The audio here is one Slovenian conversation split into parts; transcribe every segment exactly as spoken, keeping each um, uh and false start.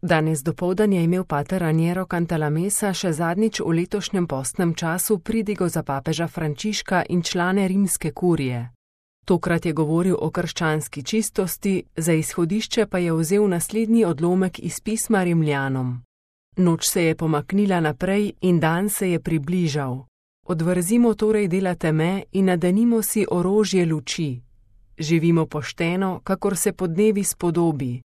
Danes dopoldan je imel pater Raniero Cantalamessa še zadnjič v letošnjem postnem času pridigo za papeža Frančiška in člane rimske kurije. Tokrat je govoril o krščanski čistosti, za izhodišče pa je vzel naslednji odlomek iz pisma Rimljanom. Noč se je pomaknila naprej in dan se je približal. Odvrzimo torej dela teme in nadenimo si orožje luči. Živimo pošteno, kakor se podnevi spodobi.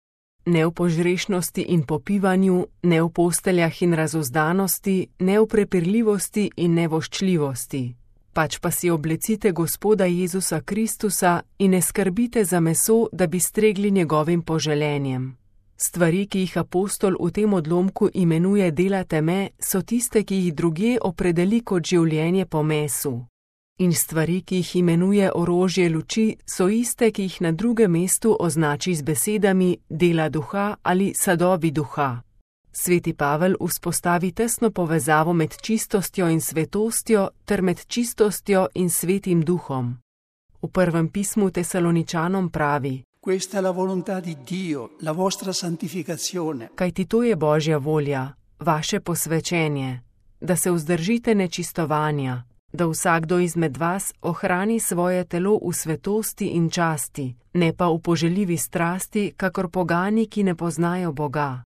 Ne v požrešnosti in popivanju, ne v posteljah in razuzdanosti, ne v prepirljivosti in nevoščljivosti. Pač pa si oblecite Gospoda Jezusa Kristusa in ne skrbite za meso, da bi stregli njegovim poželenjem. Stvari, ki jih apostol v tem odlomku imenuje dela teme, so tiste, ki jih drugje opredeli kot življenje po mesu. In stvari, ki jih imenuje orožje luči, so iste, ki jih na drugem mestu označi z besedami dela duha ali sadovi duha. Sveti Pavel vzpostavi tesno povezavo med čistostjo in svetostjo ter med čistostjo in svetim duhom. V prvem pismu Tesaloničanom pravi: Questa è la volontà di Dio, la vostra santificazione. Kajti to je Božja volja, vaše posvečenje, da se vzdržite nečistovanja, da vsakdo izmed vas ohrani svoje telo v svetosti in časti, ne pa v poželjivi strasti, kakor pogani, ki ne poznajo Boga.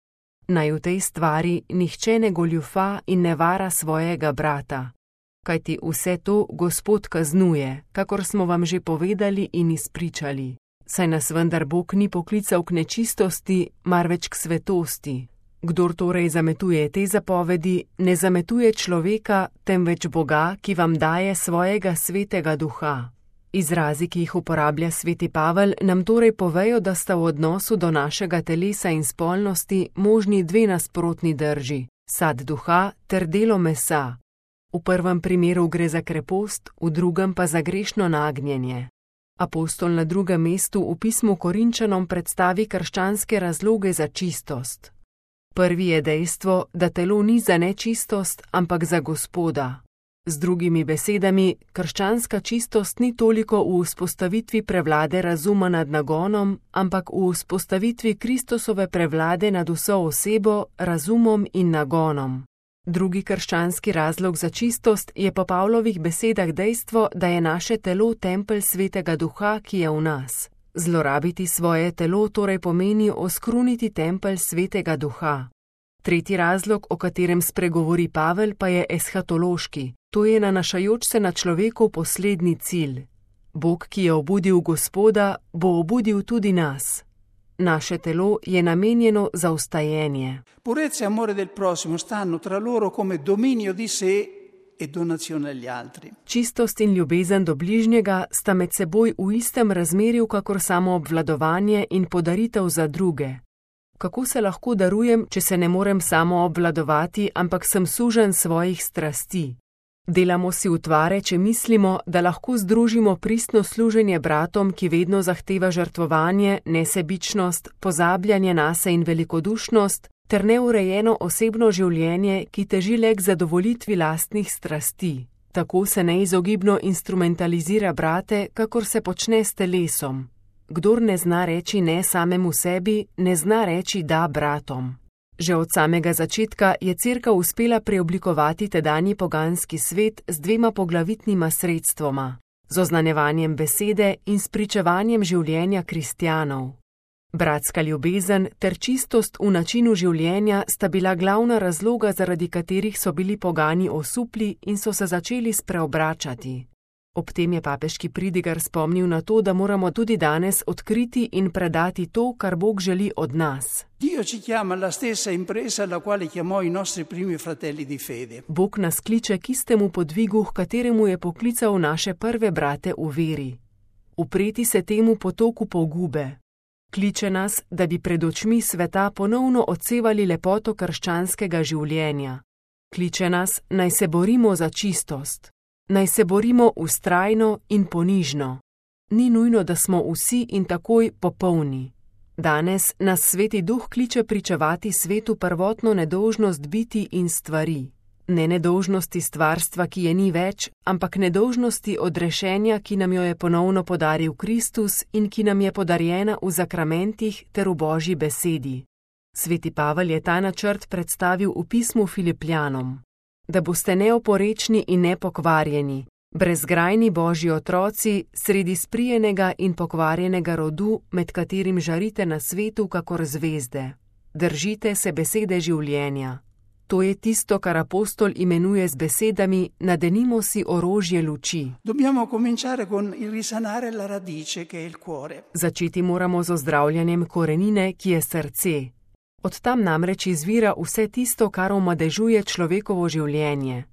Naj v tej stvari nihče ne goljufa in ne vara svojega brata. Kajti vse to Gospod kaznuje, kakor smo vam že povedali in izpričali. Saj nas vendar Bog ni poklical k nečistosti, marveč k svetosti. Kdor torej zametuje te zapovedi, ne zametuje človeka, temveč Boga, ki vam daje svojega svetega duha. Izrazi, ki jih uporablja sveti Pavel, nam torej povejo, da sta v odnosu do našega telesa in spolnosti možni dve nasprotni drži, sad duha ter delo mesa. V prvem primeru gre za krepost, v drugem pa za grešno nagnjenje. Apostol na drugem mestu v pismu Korinčanom predstavi krščanske razloge za čistost. Prvi je dejstvo, da telo ni za nečistost, ampak za Gospoda. Z drugimi besedami, krščanska čistost ni toliko v vzpostavitvi prevlade razuma nad nagonom, ampak v vzpostavitvi Kristusove prevlade nad vso osebo, razumom in nagonom. Drugi krščanski razlog za čistost je po Pavlovih besedah dejstvo, da je naše telo tempelj svetega duha, ki je v nas. Zlorabiti svoje telo torej pomeni oskruniti tempelj svetega duha. Tretji razlog, o katerem spregovori Pavel, pa je eshatološki. To je nanašajoč se na človekov poslednji cilj. Bog, ki je obudil Gospoda, bo obudil tudi nas. Naše telo je namenjeno za vstajenje. Purezza e amore del prossimo stanno tra loro come dominio di sé e donazione agli altri. Čistost in ljubezen do bližnjega sta med seboj v istem razmerju, kakor samo obvladovanje in podaritev za druge. Kako se lahko darujem, če se ne morem samo obvladovati, ampak sem suženj svojih strasti? Delamo si utvare, če mislimo, da lahko združimo pristno služenje bratom, ki vedno zahteva žrtvovanje, nesebičnost, pozabljanje nase in velikodušnost, ter neurejeno osebno življenje, ki teži le k zadovoljitvi lastnih strasti. Tako se neizogibno instrumentalizira brate, kakor se počne s telesom. Kdor ne zna reči ne samemu sebi, ne zna reči da bratom. Že od samega začetka je Cerkev uspela preoblikovati tedanji poganski svet z dvema poglavitnima sredstvoma, z oznanjevanjem besede in spričevanjem življenja kristjanov. Bratska ljubezen ter čistost v načinu življenja sta bila glavna razloga, zaradi katerih so bili pogani osupli in so se začeli spreobračati. Ob tem je papeški pridigar spomnil na to, da moramo tudi danes odkriti in predati to, kar Bog želi od nas. Dio ci chiama alla stessa impresa alla quale chiamò i nostri primi fratelli di fede. Bog nas kliče k istemu podvigu, h kateremu je poklical naše prve brate v veri. Upreti se temu potoku pogube. Kliče nas, da bi pred očmi sveta ponovno odsevali lepoto krščanskega življenja. Kliče nas, naj se borimo za čistost. Naj se borimo vztrajno in ponižno. Ni nujno, da smo vsi in takoj popolni. Danes nas Sveti Duh kliče pričevati svetu prvotno nedolžnost biti in stvari. Ne nedolžnosti stvarstva, ki je ni več, ampak nedolžnosti odrešenja, ki nam jo je ponovno podaril Kristus in ki nam je podarjena v zakramentih ter v Božji besedi. Sveti Pavel je ta načrt predstavil v pismu Filipljanom, da boste neoporečni in nepokvarjeni, brezgrajni Božji otroci sredi sprijenega in pokvarjenega rodu, med katerim žarite na svetu kakor zvezde. Držite se besede življenja. To je tisto, kar apostol imenuje z besedami: nadenimo si orožje luči. Dobbiamo cominciare con il risanare la radice, che è il cuore. Začeti moramo z ozdravljanjem korenine, ki je srce. Od tam namreč izvira vse tisto, kar omadežuje človekovo življenje.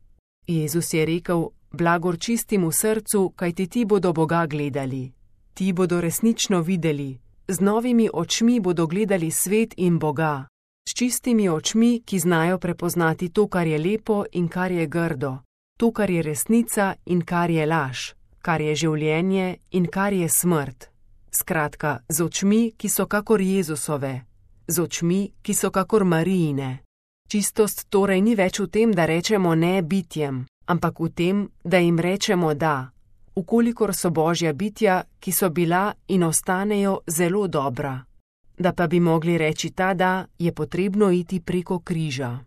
Jezus je rekel: blagor čistim v srcu, kajti ti bodo Boga gledali. Ti bodo resnično videli. Z novimi očmi bodo gledali svet in Boga. S čistimi očmi, ki znajo prepoznati to, kar je lepo in kar je grdo, to, kar je resnica in kar je laž, kar je življenje in kar je smrt. Skratka, z očmi, ki so kakor Jezusove, z očmi, ki so kakor Marijine. Čistost torej ni več v tem, da rečemo ne bitjem, ampak v tem, da jim rečemo da, ukolikor so Božja bitja, ki so bila in ostanejo zelo dobra. Da pa bi mogli reči ta da, je potrebno iti preko križa.